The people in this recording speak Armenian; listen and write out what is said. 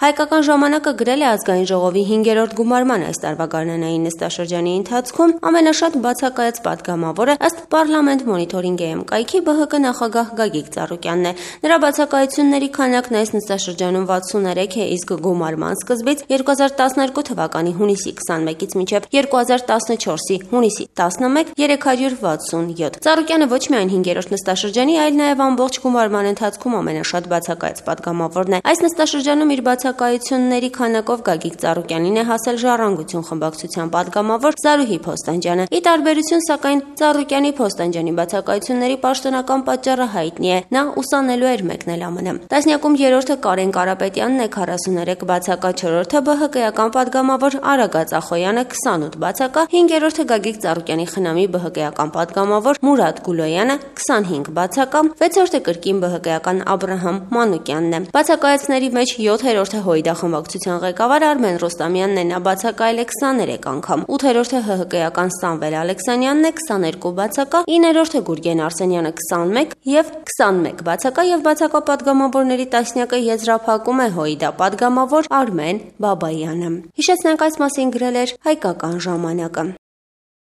Հայկական ժամանակը գրել է ազգային ժողովի 5-րդ գումարման այս տարվա գարնանային նստաշրջանի ընթացքում ամենաշատ բացակայած պատգամավորը ըստ Պարլամենտ մոնիթորինգ EM կայքի ԲՀԿ նախագահ Գագիկ Ծառուկյանն է։ Նրա բացակայությունների քանակն այս նստաշրջանում 63 է, իսկ գումարման սկզբից 2012 թվականի հունիսի 21-ից մինչև 2014-ի հունիսի 11 367։ Ծառուկյանը ոչ միայն 5-րդ նստաշրջանի, այլ նաև ամբողջ գումարման ընթացքում ամենաշատ բացակայած պատգամավորն է։ Այս նստաշրջանում իր բացակայությունների քանակով Գագիկ Ծառուկյանին է հասել Ժառանգություն խմբակցության պատգամավոր Զարուհի Փոստանջյանը։ Ի տարբերություն սակայն Ծառուկյանի Փոստանջյանի բացակայությունների պաշտոնական պատճառը հայտնի է։ Նա ուսանելու էր մեկնել ԱՄՆ։ Տասնյակում 3-րդը Կարեն Կարապետյանն է 43 բացակա, 4-րդը ԲՀԿ-ական պատգամավոր Արագած Ախոյանը 28 բացակա, 5-րդը Գագիկ Ծառուկյանի խնամի ԲՀԿ-ական պատգամավոր Մուրադ Գուլոյանը 25 բացակա, 6-րդը կրկին ԲՀԿ-ական Աբրահամ Մանուկյանն է։ Բացակայածների մեջ 7-րդը ՀՅԴ խմբակցության ղեկավար Արմեն Ռոստամյանն է, նա բացակայել է 23 անգամ, 8-րդը ՀՀԿ-ական Սամվել Ալեքսանյանն է 22 բացակա, 9-րդը Գուրգեն Արսենյանը 21 եւ 21 բացակա եւ բացակա պատգամավորների տասնյակը եզրափակում է ՀՅԴ պատգամավոր Արմեն Բաբայանը։ Հիշեցնենք, այս մասին գրել էր Հայկական ժամանակը։